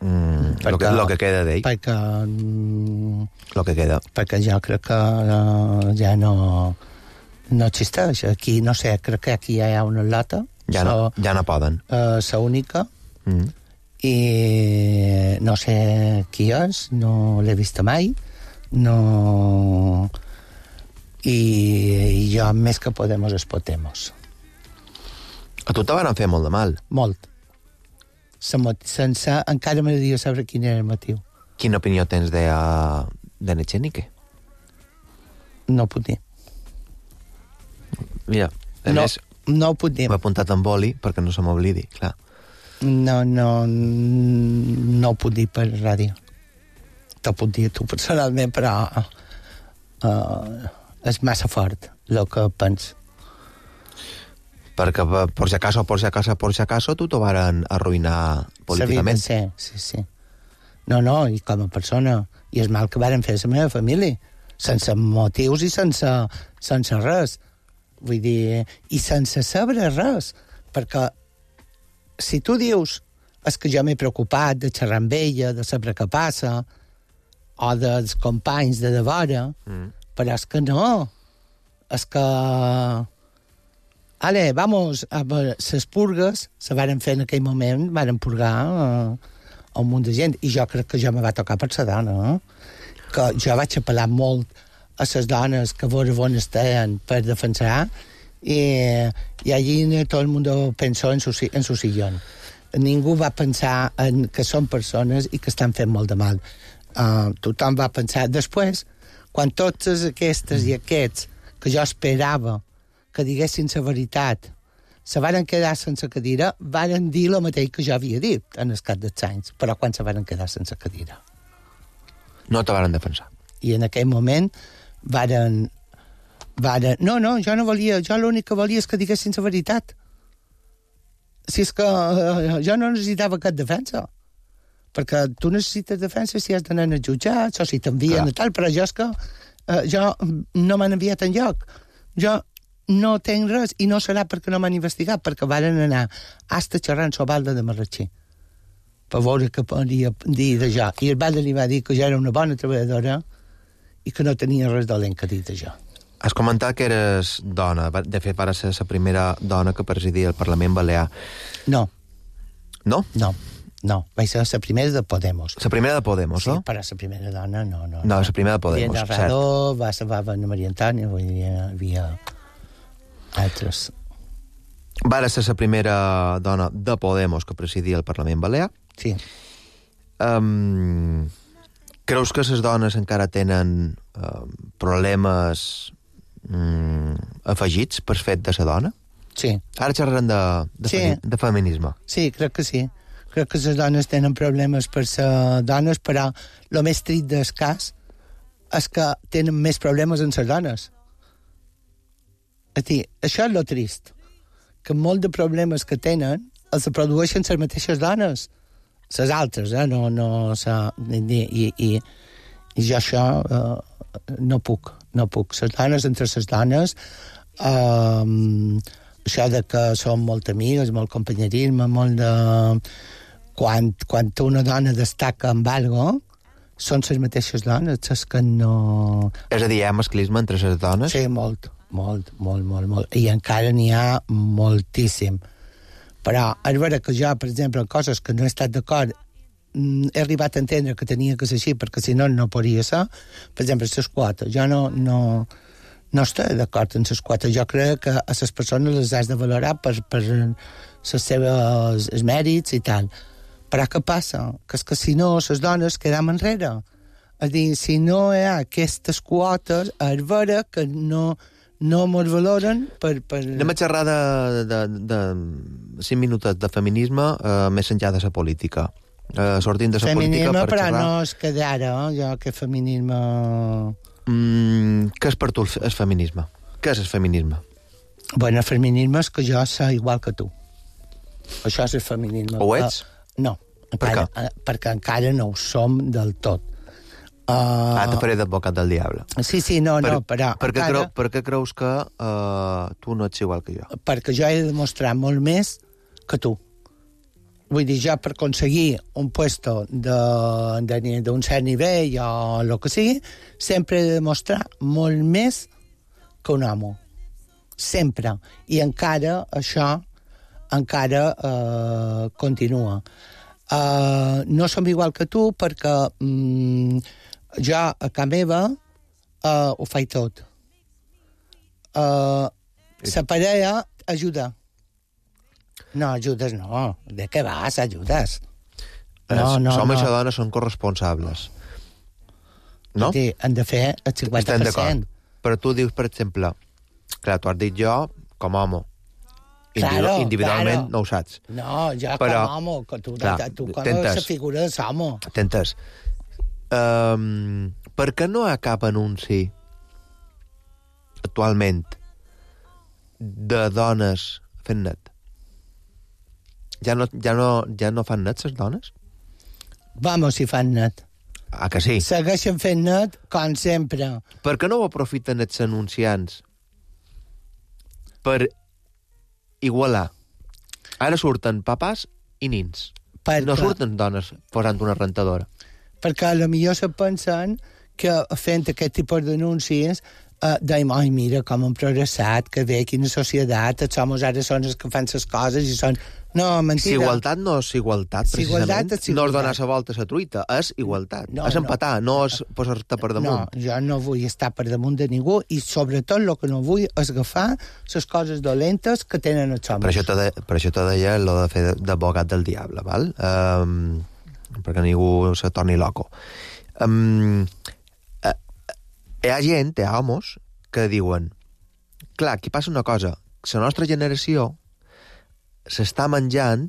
Mm, lo, que, lo que queda d'ell. Perquè... Mm, lo que queda. Perquè jo crec que uh, ja no, no existeix. Aquí, no sé, crec que aquí hi ha una lata. Ja, so, no, ja no poden. Uh, la única. Mm. I no sé qui és, no l'he vist mai, no... I, i jo més que Podemos es Podemos. A tu te van fer molt de mal. Molt. Sense, encara m'agradaria saber quin era el motiu. Quina opinió tens de, uh, de Echenique? No ho puc dir. Mira, a no, més... No ho puc dir. M'he apuntat en boli perquè no se m'oblidi, clar. No, no, no ho puc dir per ràdio. T'ho puc dir tu personalment, però uh, és massa fort el que pens. Perquè por si acaso, por si acaso, por si acaso, tu t'ho varen arruïnar políticament. Sí, sí, sí. No, no, i com a persona. I és mal que varen fer la meva família. Sense motius i sense, sense res. Vull dir, i sense saber res. Perquè si tu dius és que jo m'he preocupat de xerrar amb ella, de saber què passa, o dels companys de devora, mm. però és que no. És que... Ale, vamos, a les purgues se varen fer en aquell moment, varen purgar uh, un munt de gent, i jo crec que jo me va tocar per la dona, eh? Que jo vaig apel·lar molt a les dones que vos on estaven per defensar, i, i allí tot el món pensó en su, en su sillón. Ningú va pensar en que són persones i que estan fent molt de mal. Uh, tothom va pensar... Després, quan totes aquestes i aquests que jo esperava que diguessin la veritat se varen quedar sense cadira, varen dir el mateix que jo havia dit en el cap dels anys, però quan se varen quedar sense cadira. No te varen defensar. I en aquell moment varen... varen no, no, jo no volia... Jo l'únic que volia és que diguessin la veritat. Si és que uh, jo no necessitava cap defensa. Perquè tu necessites defensa si has d'anar als jutjats o si t'envien a tal, però jo és que uh, jo no m'han enviat enlloc. Jo no tenc res i no serà perquè no m'han investigat, perquè varen anar hasta xerrant sobre Balda de Marratxí per veure què podia dir de jo. I el Balda li va dir que jo era una bona treballadora i que no tenia res dolent que dir de jo. Has comentat que eres dona. De fet, vas ser la primera dona que presidia el Parlament Balear. No. No? No, no. Vaig ser la primera de Podemos. La primera de Podemos, sí, no? Sí, però la primera dona, no. No, no, la primera de Podemos, cert. Radó, va ser Anna Maria Antònia, vull dir, hi havia altres. Va ser la primera dona de Podemos que presidia el Parlament Balear. Sí. Um, creus que les dones encara tenen uh, problemes um, afegits per fet de la dona? Sí. Ara xerrarem de, de, sí. femi, de feminisme. Sí, crec que sí. Crec que les dones tenen problemes per ser dones, però el més trist del cas és que tenen més problemes en les dones. És dir, això és lo trist, que molt de problemes que tenen els produeixen les mateixes dones, les altres, eh? No, no, sa, i, i, i, i jo això uh, no puc, no puc. Les dones entre les dones, uh, això de que som molt amigues, molt companyerisme, molt de... Quan, quan una dona destaca amb algo, són les mateixes dones, és que no... És a dir, hi ha masclisme entre les dones? Sí, molt, molt, molt, molt, molt. I encara n'hi ha moltíssim. Però és vera que jo, per exemple, en coses que no he estat d'acord mm, he arribat a entendre que tenia que ser així, perquè si no, no podria ser. Per exemple, les quotes. Jo no, no, no estic d'acord amb les quotes. Jo crec que a les persones les has de valorar per, per les seves els mèrits i tal. Però què passa? Que és que si no, les dones quedam enrere. És a dir, si no hi ha aquestes quotes, és vera que no... no mos valoren per... per... Anem a xerrar de, de, de cinc minuts de feminisme eh, més enllà de la política. Eh, sortint de la política per però xerrar... no és que d'ara, eh? Jo que feminisme... Mm, què és per tu el feminisme? Què és el feminisme? Bueno, el feminisme és que jo sé igual que tu. Això és el feminisme. Ho ets? Uh, no, encara, per uh, perquè encara no ho som del tot. Uh, ah, te faré d'advocat del diable. Sí, sí, no, per, no, però... Per què, encara... creu, per què creus que uh, tu no ets igual que jo? Perquè jo he de demostrar molt més que tu. Vull dir, jo per aconseguir un puesto d'un cert nivell o el que sigui, sempre he de demostrar molt més que un home. Sempre. I encara això encara uh, continua. Uh, no som igual que tu perquè um, jo a casa meva uh, ho faig tot. Uh, la parella ajuda. No, ajudes no. De què vas, ajudes? No, no, som no. i dones són corresponsables. No? Sí, han de fer el cinquanta per cent. Però tu dius, per exemple, clar, tu has dit jo com a home. Claro, individualment claro. no ho saps. No, jo però, com a home, que tu, clar, tu com la figura de l'home. T'entens. Um, per què no hi ha cap anunci actualment de dones fent net? Ja no, ja no, ja no fan net, les dones? Vamos, si fan net. Ah, que sí? Segueixen fent net, com sempre. Per què no ho aprofiten els anunciants per igualar? Ara surten papàs i nins. Per no clar. surten dones posant una rentadora. Perquè a lo millor se pensen que fent aquest tipus d'anuncis uh, deim, ai, mira com han progressat, que bé, quina societat, els homes ara són els que fan les coses i són... No, mentida. Si igualtat no és igualtat, si precisament. Igualtat és igualtat. No és donar la volta a la truita, és igualtat. No, és empatar, no, no és posar-te per damunt. No, jo no vull estar per damunt de ningú i sobretot el que no vull és agafar les coses dolentes que tenen els homes. Per això te, de, per això te deia el de fer d'advocat del diable, val? Um, perquè ningú se torni loco. Um, uh, hi ha gent, hi ha homes, que diuen clar, aquí passa una cosa, la nostra generació s'està menjant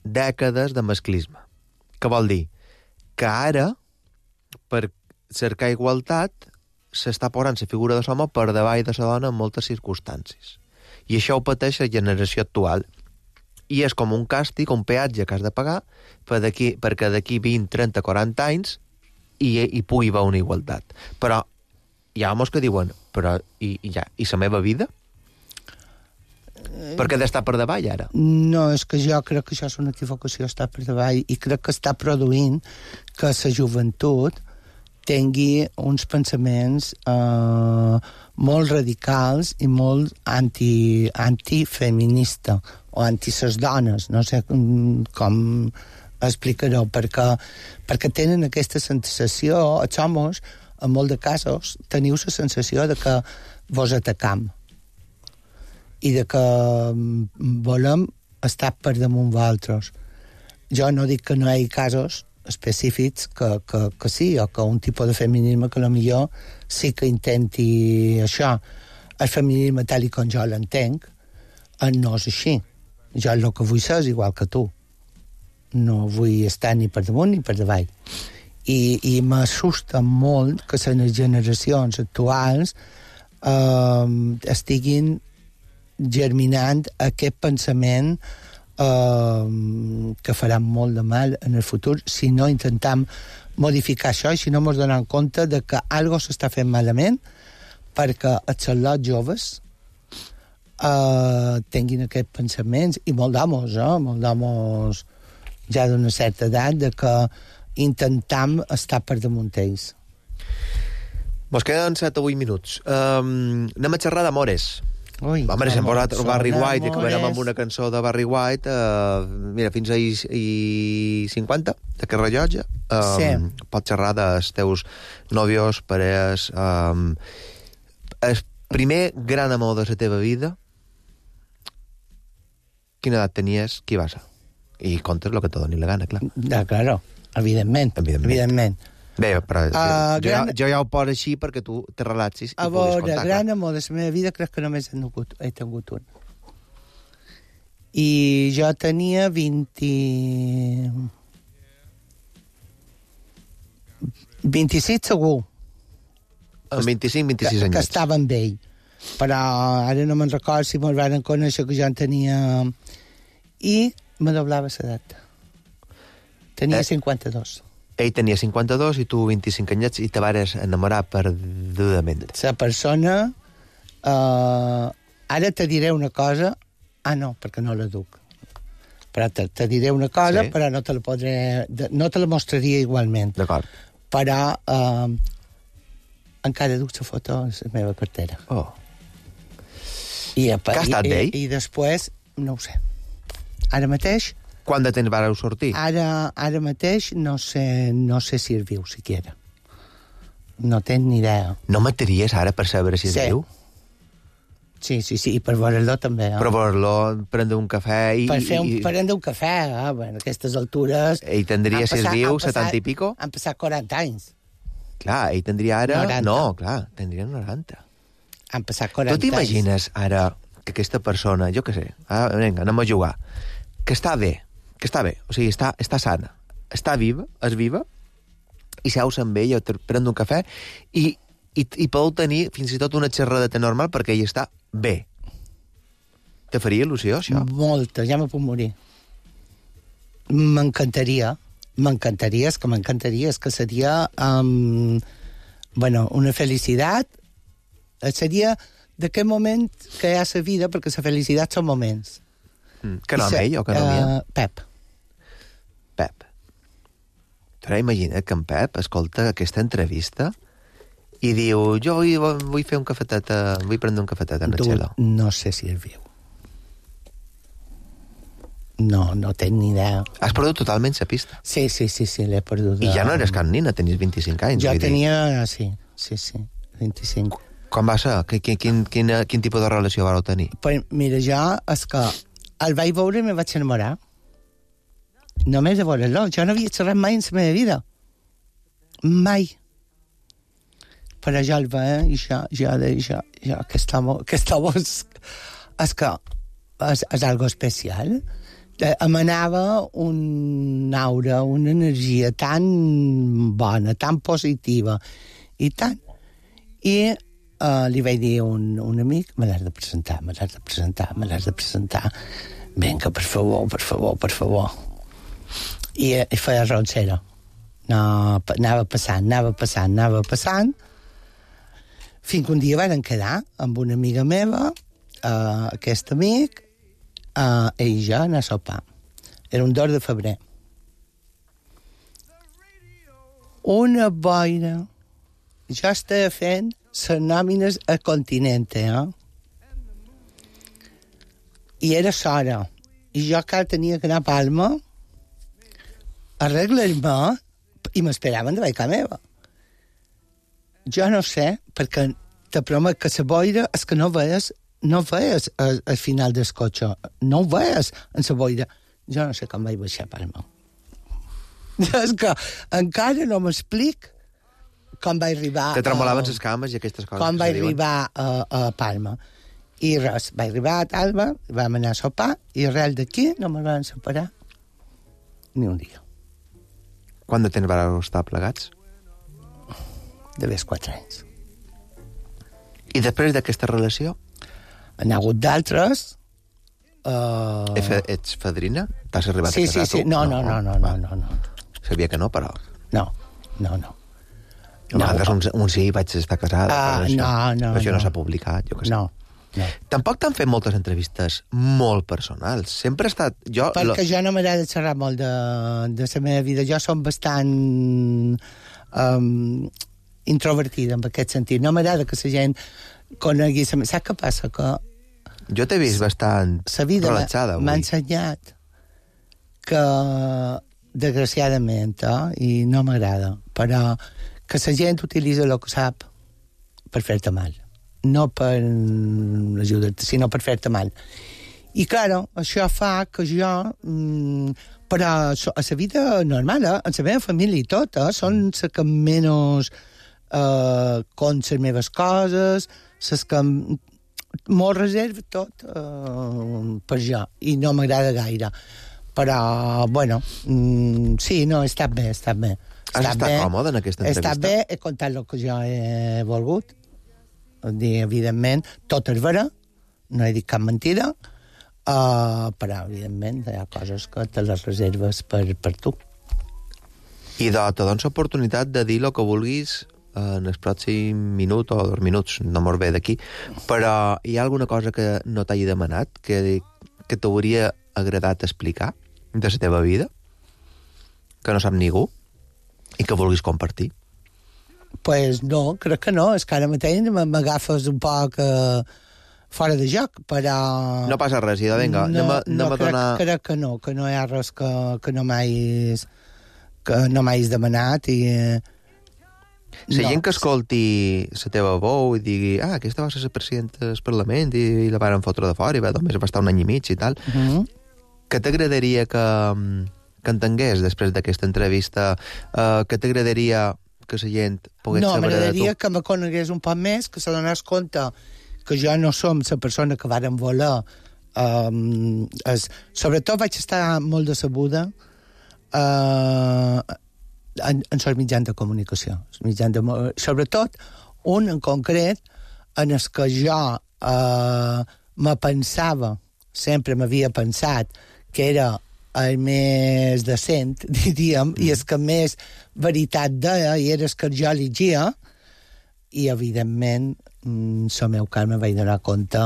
dècades de masclisme. Què vol dir? Que ara, per cercar igualtat, s'està posant la figura de l'home per davall de la dona en moltes circumstàncies. I això ho pateix la generació actual. I és com un càstig, un peatge que has de pagar per d'aquí, perquè d'aquí vint, trenta, quaranta anys hi, hi pugui haver una igualtat. Però hi ha homes que diuen però i, i, ja, i la meva vida? Per què ha d'estar per davall, ara? No, és que jo crec que això és una equivocació, estar per davall, i crec que està produint que la joventut tingui uns pensaments eh, molt radicals i molt anti, antifeminista, o anti ses dones, no sé com explicar-ho, perquè, perquè tenen aquesta sensació, els homes, en molts de casos, teniu la sensació de que vos atacam i de que volem estar per damunt vosaltres. Jo no dic que no hi hagi casos específics que, que, que sí, o que un tipus de feminisme que potser sí que intenti això. El feminisme tal i com jo l'entenc no és així. Jo el que vull ser és igual que tu. No vull estar ni per damunt ni per davall. I, i m'assusta molt que les generacions actuals eh, estiguin germinant aquest pensament eh, que farà molt de mal en el futur si no intentem modificar això i si no ens donem compte de que algo s'està fent malament perquè els xalots joves eh, tinguin aquests pensaments, i molt d'homes, eh? molt d'homes ja d'una certa edat, de que intentam estar per damunt ells. Mos queden set o vuit minuts. Um, anem a xerrar d'amores. Ui, Home, s'hem posat el Barry White i amores. acabarem amb una cançó de Barry White. Uh, mira, fins a i, i cinquanta. d'aquest rellotge, um, Sí. pots xerrar dels teus nòvios, parelles... Um, el primer gran amor de la teva vida, quina edat tenies, qui va ser? I contes el que te doni la gana, clar. Ja, claro, evidentment. Evidentment. Evidentment. Bé, però uh, jo, gran... ja, jo ja ho poso així perquè tu te relaxis i A puguis veure, contar. gran amor de la meva vida crec que només he tingut, he tingut un. I jo tenia vint... vint-i-sis segur. Amb vint-i-cinc vint-i-sis que, anys. que estava amb ell. Però ara no me'n recordo si me'l van conèixer que jo en tenia... I me doblava l'edat. Tenia Eh? cinquanta-dos. Ell tenia cinquanta-dos i tu vint-i-cinc anyets i te vares enamorar perdudament. La persona... Uh, ara te diré una cosa... Ah, no, perquè no la duc. Però te, te diré una cosa, Sí. però no te la podré... No te la mostraria igualment. D'acord. Però uh, encara duc la foto a la meva cartera. Oh. I, a, Que ha estat i, d'ell? I, I després, no ho sé. Ara mateix, Quant de temps vareu sortir? ara, ara mateix no sé, no sé si és viu, siquiera. No tenc ni idea. No mataries ara per saber si és Sí. viu? Sí, sí, sí, i per veure-lo també. Eh? Però veure-lo, prendre un cafè i... Per fer un, i, prendre un cafè, eh? Bueno, a aquestes altures... Ell tindria, han si és passat- viu, han passat- setanta i pico? Han passat quaranta anys. Clar, ell tindria ara... noranta. No, clar, tindria noranta. Han passat quaranta Tu t'imagines ara que aquesta persona, jo què sé, ah, vinga, anem a jugar, que està bé, que està bé, o sigui, està, està sana, està viva, és viva, i seus amb ell, prendre un cafè, i, i, i podeu tenir fins i tot una xerradeta normal perquè ell està bé. Te faria il·lusió, això? Molta, ja me puc morir. M'encantaria, m'encantaria, és que m'encantaria, és que seria um, bueno, una felicitat, seria d'aquest moment que hi ha a la vida, perquè la felicitat són moments. Mm. Que nom I sa- ell o que nom hi ha? uh, Pep. Pep. Però imagina't que en Pep escolta aquesta entrevista i diu, jo vull, vull fer un cafetet, a, vull prendre un cafetet en el Tu, cielo. no sé si és viu. No, no tenc ni idea. Has perdut totalment la pista. Sí, sí, sí, sí, l'he perdut. I ja no eres cap nina, tenies vint-i-cinc anys. Jo vull dir. tenia, sí, sí, sí, vint-i-cinc. Com va ser? Quin, quin, quin, quin tipus de relació vareu tenir? Pues, mira, jo és que el vaig veure i me vaig enamorar. Només de veure-lo. Jo no havia xerrat mai en la meva vida. Mai. Però jo el veia i jo, jo deia, jo, jo, aquest home, aquest home és, és que és, és algo especial. Eh, emanava un aura, una energia tan bona, tan positiva, i tant. I uh, li vaig dir a un, un amic, me l'has de presentar, me l'has de presentar, me l'has de presentar. Vinga, per favor, per favor, per favor. I, i feia roncera. No, anava passant, anava passant, anava passant, fins que un dia van quedar amb una amiga meva, uh, aquest amic, uh, ell i jo, anar a sopar. Era un dos de febrer. Una boira. Jo estava fent les nòmines a Continente, eh? I era s'hora. I jo que tenia que anar a Palma, arreglar-me, i m'esperaven de casa meva. Jo no sé, perquè te promet que la boira és que no veies, no veies al, al final del cotxe. No ho veies en la boira. Jo no sé com vaig baixar a Palma. És que encara no m'explic com vaig arribar... Te tremolaven les cames i aquestes coses. Com que vaig se diuen. arribar a, a Palma. I res, vaig arribar a Talba, vam anar a sopar, i arrel d'aquí no me'n van separar ni un dia. Quant de temps vareu estar plegats? De més quatre anys. I després d'aquesta relació? Han hagut d'altres... Uh... Uh... Ets fadrina? T'has arribat Sí, a casar, sí, sí. tu? No, no, no, no, no, no, no. Sabia que no, però... No, no, no. A vegades un, un sí, vaig estar casada. Ah, però això, no, no, però això no, no. s'ha publicat, jo què sé. No, no. Tampoc t'han fet moltes entrevistes molt personals. Sempre ha estat... Jo, Perquè jo no m'agrada xerrar molt de, de la meva vida. Jo som bastant um, introvertida en aquest sentit. No m'agrada que la gent conegui... Saps què passa? Que Jo t'he vist bastant la vida relaxada m'ha avui. ensenyat que desgraciadament, eh, i no m'agrada, però que la gent utilitza el que sap per fer-te mal. No per ajudar-te, sinó per fer-te mal. I, claro, això fa que jo... Mm, però a la vida normal, eh, en la meva família i tot, eh, són les que menys eh, con les meves coses, les que m'ho reserva tot eh, per jo, i no m'agrada gaire. Però, bueno, mm, sí, no, he estat bé, he estat bé. Has estat bé, còmode en aquesta entrevista? He estat bé, he contat el que jo he volgut. Dir, evidentment, tot és vera, no he dit cap mentida, uh, però, evidentment, hi ha coses que te les reserves per, per tu. I de, te dones l'oportunitat de dir el que vulguis en el pròxim minut o dos minuts, no mos ve d'aquí, però hi ha alguna cosa que no t'hagi demanat, que, que t'hauria agradat explicar de la teva vida, que no sap ningú, i que vulguis compartir? Pues no, crec que no. És que ara mateix m'agafes un poc eh, fora de joc, però... No passa res, idò, vinga, no, anem a, anem no, a crec, donar... crec que no, que no hi ha res que, que no m'hagis que no m'hagis demanat i... La no. gent que escolti la teva veu i digui ah, aquesta va ser la presidenta del Parlament i, i la van fotre de fora i va, només va estar un any i mig i tal, Uh -huh. que t'agradaria que, que entengués després d'aquesta entrevista, uh, que t'agradaria que la gent pogués no, saber de tu? m'agradaria que me conegués un poc més, que se donés compte que jo no som la persona que varen voler. Um, es, sobretot vaig estar molt decebuda uh, en, en els mitjans de comunicació. Els mitjans de, sobretot un en concret en el que jo uh, me pensava, sempre m'havia pensat que era el més decent, diríem, mm. i és que més veritat deia, i era el que jo llegia, i, evidentment, el meu cas me vaig donar compte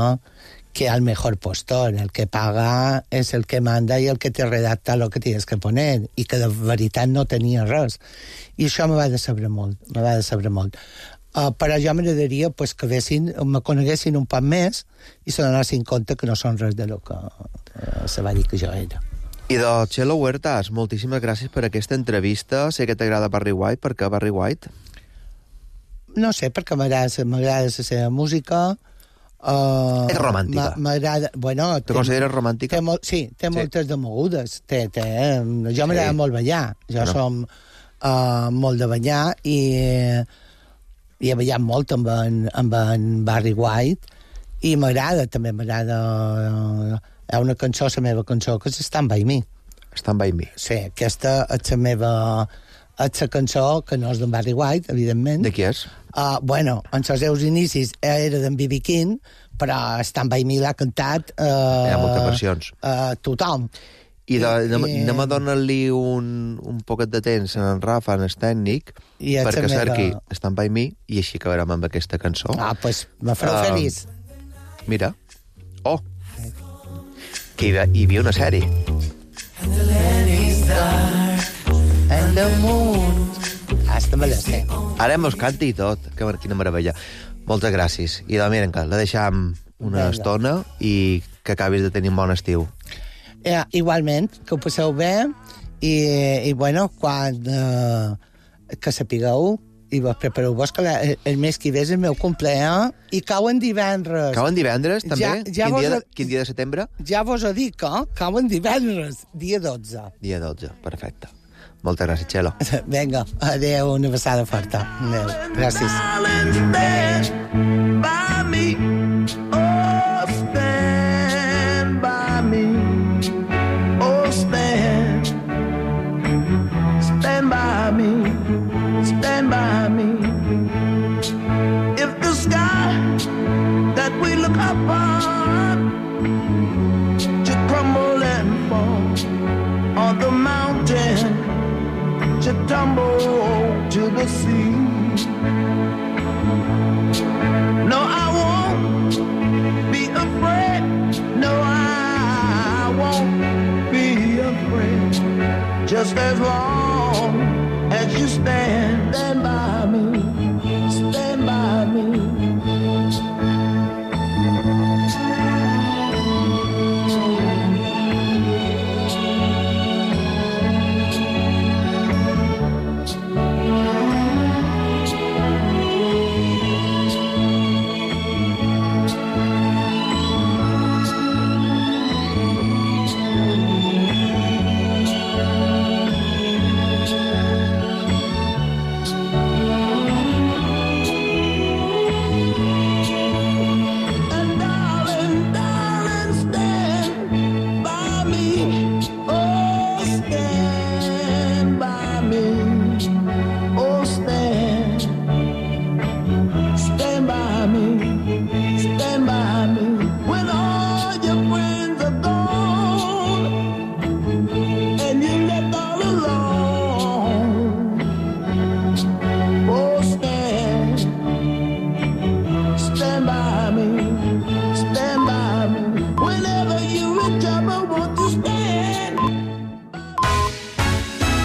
que el mejor postor, el que paga, és el que manda i el que te redacta lo que tienes que poner, i que de veritat no tenia res. I això me va decebre molt, me va decebre molt. Uh, però jo m'agradaria pues, que vessin, me coneguessin un poc més i se donessin compte que no són res de lo que uh, se va dir que jo era. I de Txelo Huertas, moltíssimes gràcies per aquesta entrevista. Sé que t'agrada Barry White. Per què Barry White? No sé, perquè m'agrada la seva música. Uh, és romàntica. M'agrada... Bueno, te consideres romàntica? Té molt, sí, té sí. moltes de mogudes. Té, té, eh? Jo m'agrada sí. molt ballar. Jo bueno. som uh, molt de ballar i, i he ballat molt amb en, amb en Barry White i m'agrada, també m'agrada... Uh, hi ha una cançó, la meva cançó, que és Stand By Me. Stand By Me. Sí, aquesta és la meva... és la cançó, que no és d'en Barry White, evidentment. De qui és? Uh, bueno, en els seus inicis era d'en B B King, però Stand By Me l'ha cantat... Uh, hi ha moltes versions. Uh, tothom. I, de, I anem, anem a donar-li un, un poquet de temps a en Rafa, en el tècnic, perquè meva... cerqui Stand By Me, i així acabarem amb aquesta cançó. Ah, doncs pues, me fareu uh, feliç. Mira. Oh! Que hi, hi havia una sèrie. And the land is dark, and the moon... Hasta me la sé. Ara mos canti i tot. Que, quina meravella. Moltes gràcies. I de miren que la deixam una Venga. estona i que acabis de tenir un bon estiu. Eh, igualment, que ho passeu bé i, i bueno, quan eh, que sapigueu i vos prepareu-vos que la, el, el mes que ve és el meu compleanys i cauen divendres. Cauen divendres, també? Ja, ja quin, dia, he, quin dia de setembre? Ja vos ho dic, eh? Cauen divendres, dia dotze. Dia dotze, perfecte. Moltes gràcies, Txelo. Vinga, adéu, una passada forta. Adéu, gràcies. Stand by me. If the sky that we look upon should crumble and fall, on the mountain should tumble to the sea. No, I won't be afraid. No, I won't be afraid. Just as long as you stand, stand by me, stand by me. never want to stay.